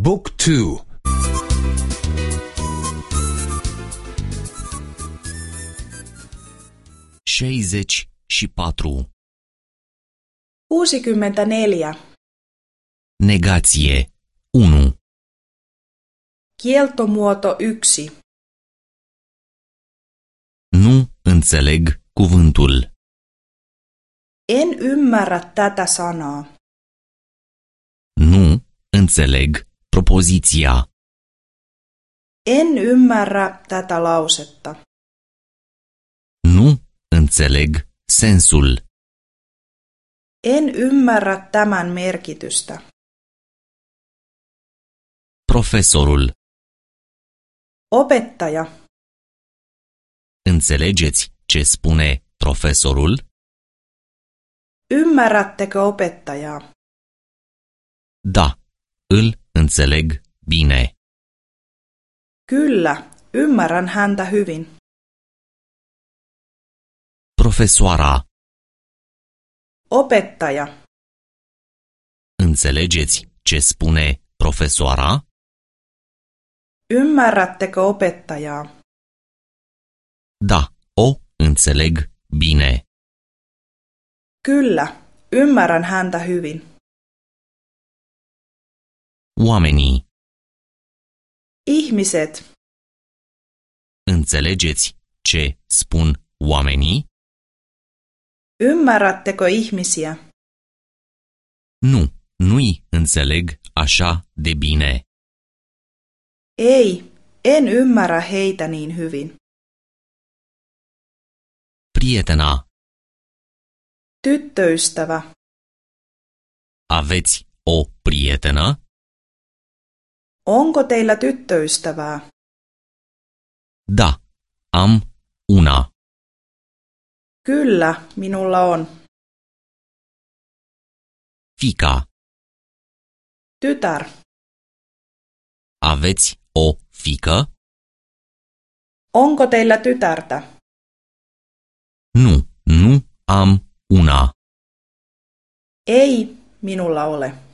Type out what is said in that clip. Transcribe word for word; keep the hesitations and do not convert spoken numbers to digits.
Book two. Șaizeci și patru. Kuusikymmentäneljä. Negație unu. Kieltomuoto yksi. Nu înțeleg cuvântul. En ymmärrä tätä sanaa. Nu înțeleg propoziția. En ymmärrä tätä lausetta. Nu înțeleg sensul. En ymmärrä tämän merkitystä. Profesorul. Opettaja. Înțelegeți ce spune profesorul? Ymmärrättekö opettajaa? Da, îl înțeleg bine. Kyllä, ymmärrän häntä hyvin. Profesoara. Opettaja. Înțelegeți ce spune profesoara? Ymmärrättekö opettajaa? Da, o înțeleg bine. Kyllä, ymmärrän häntä hyvin. Oamenii. Ihmiset. Înțelegeți ce spun oamenii? Ymmärrättekö ihmisiä? Nu, nu-i înțeleg așa de bine. Ei, en ymmärrä heitä niin hyvin. Prietena. Tyttöystävä. Aveți o prietenă? Onko teillä tyttöystävää? Da, am una. Kyllä, minulla on. Fiica. Tytär. Aveți o fiică? Onko teillä tytärtä? Nu, nu am una. Ei, minulla ole.